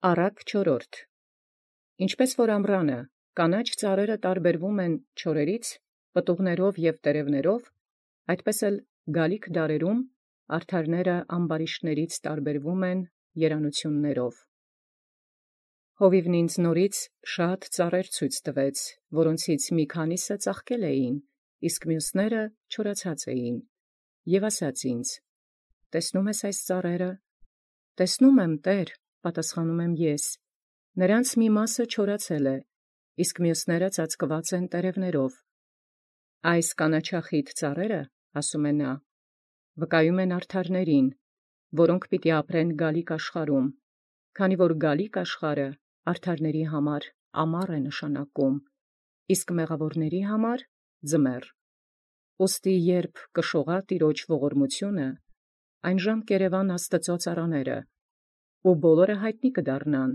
Առակ 4. Ինչպես որ ամռանը կանաչ ծառերը տարբերվում են չորերից, պտուղներով և տերևներով, այդպես էլ գալիք դարերում արդարները ամբարիշտներից տարբերվում են երանություններով։ Հովիվն ինձ նորից շատ ծառեր ցույց տվեց, որոնցից մի քանիսը ծաղկել էին, իսկ մյուսները չորացած էին, և ասաց ինձ. «Տեսնո՞ւմ ես այս ծառերը»։ «Տեսնում եմ, Տէր», պատասխանում եմ ես, «նրանց մի մասը չորացել է, իսկ մյուսները ծածկված են տերևներով»։ «Այս կանաչախիտ ծառերը, ասում է նա, վկայում են արդարներին, որոնք պիտի ապրեն գալիք աշխարհում, քանի որ գալիք աշխարհը արդարների համար ամառ է նշանակում, իսկ մեղավորների համար՝ ձմեռ։ Ուստի երբ կշողա Տիրոջ ողորմությունը, այնժամ կերևան Աստուծոյ ծառաները, ու բոլորը յայտնի կդառնան։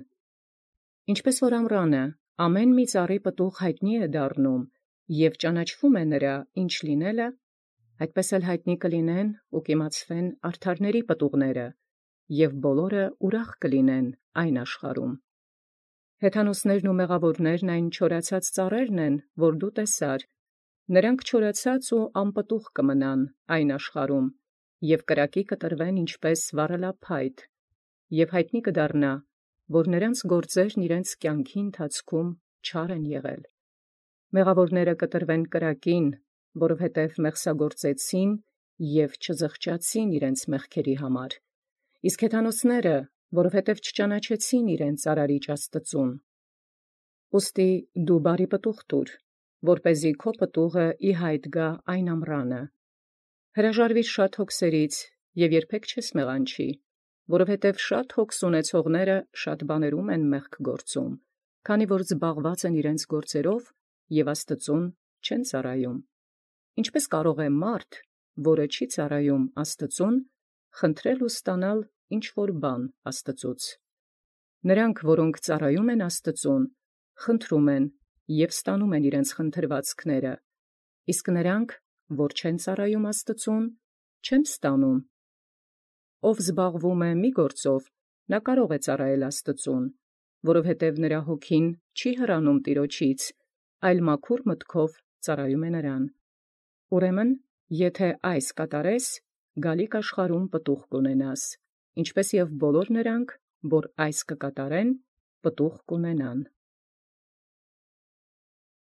Ինչպես որ ամռանը ամեն մի ծառի պտուղ յայտնի է դառնում, և ճանաչվում է նրա ինչ լինելը, այդպես էլ յայտնի կլինեն ու կիմացվեն արդարների պտուղները, և բոլորը ուրախ կլինեն այն աշխարհում։ Հեթանոսներն ու մեղավորներն այն չորացած ծառերն են, որ դու տեսար, նրանք չորացած ու անպտուղ կմնան այն աշխարհում, և կրակի կտրվեն ինչպես վառելափայտ, և յայտնի կդառնա, որ նրանց գործերն իրենց կյանքի ընթացքում չար են եղել։ Մեղավորները կտրվեն կրակին, որովհետև մեղսագործեցին և չզղջացին իրենց մեղքերի համար, իսկ հեթանոսները, որովհետև չճանաչեցին իրենց արարիչ Աստծուն։ Ուստի դու բարի պտուղ տուր, որպեսզի քո պտուղը ի յայտ գա այն ամռանը։ Հրաժարվիր շատ հոգսերից և երբեք չես մեղանչի, որովհետև շատ հոգս ունեցողները շատ բաներում են մեղք գործում, քանի որ զբաղված են իրենց գործերով և Աստծուն չեն ծառայում։ Ինչպէս կարող է մարդ, որը չի ծառայում Աստծուն, խնդրել ու ստանալ ինչ որ բան Աստծուց։ Նրանք, որոնք ծառայում են Աստծուն, խնդրում են և ստանում են իրենց խնդրվածքները, իսկ նրանք, որ չեն ծառայում Աստծուն, չեն ստանում։ Ով զբաղվում է մի գործով, նա կարող է ծառայել Աստծուն, որովհետև նրա հոգին չի հեռանում Տիրոջից, այլ մաքուր մտքով ծառայում է նրան։ Ուրեմն եթե այս կատարես, գալիք աշխարհում պտուղ կունենաս, ինչպես և բոլոր նրանք, որ այս կկատարեն, պտուղ կունենան։